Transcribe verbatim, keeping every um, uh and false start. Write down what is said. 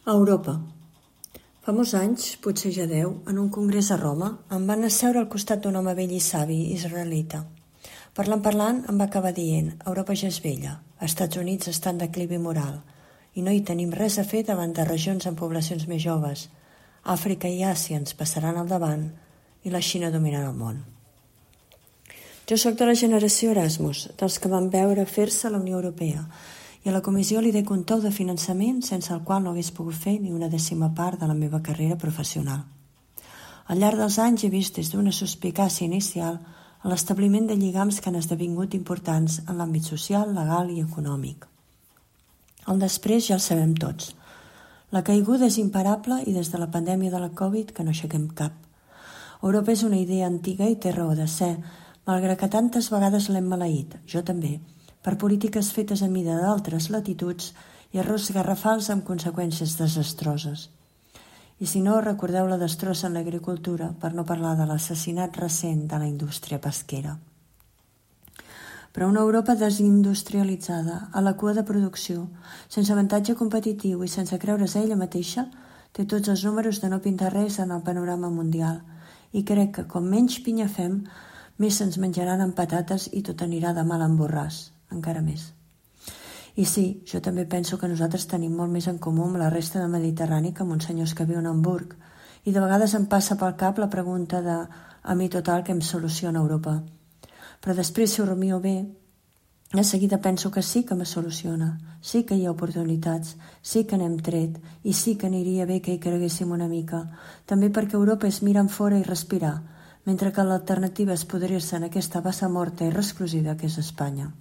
A Europa. Fa molts anys, potser ja deu, en un congrés a Roma, em van asseure al costat d'un home vell i savi israelita. Parlant parlant, em va acabar dient: Europa ja és vella, els Estats Units està en declivi moral i no hi tenim res a fer davant de regions amb poblacions més joves. Àfrica i Àsia ens passaran al davant i la Xina dominarà el món. Jo sóc de la generació Erasmus, dels que van veure fer-se a la Unió Europea, i a la comissió li dec un tou de finançament sense el qual no hagués pogut fer ni una dècima part de la meva carrera professional. Al llarg dels anys he vist des d'una suspicàcia inicial a l'establiment de lligams que han esdevingut importants en l'àmbit social, legal i econòmic. El després ja el sabem tots. La caiguda és imparable i des de la pandèmia de la Covid que no aixequem cap. Europa és una idea antiga i té raó de ser, malgrat que tantes vegades l'hem maleït, jo també, per polítiques fetes a mida d'altres latituds i errors garrafals amb conseqüències desastroses. I si no, recordeu la destrossa en l'agricultura, per no parlar de l'assassinat recent de la indústria pesquera. Però una Europa desindustrialitzada, a la cua de producció, sense avantatge competitiu i sense creure's a ella mateixa, té tots els números de no pintar res en el panorama mundial. I crec que com menys pinya fem, més se'ns menjaran amb patates i tot anirà de mal en borràs, encara més. I sí, jo també penso que nosaltres tenim molt més en comú amb la resta del Mediterrani que amb uns senyors que viuen a Hamburg. I de vegades em passa pel cap la pregunta de a mi total que em soluciona Europa. Però després, si ho rumio bé, de seguida penso que sí que me soluciona, sí que hi ha oportunitats, sí que n'hem tret i sí que aniria bé que hi creguéssim una mica. També perquè Europa és mirar enfora i respirar, mentre que l'alternativa és podrir-se en aquesta bassa morta i resclosida que és Espanya.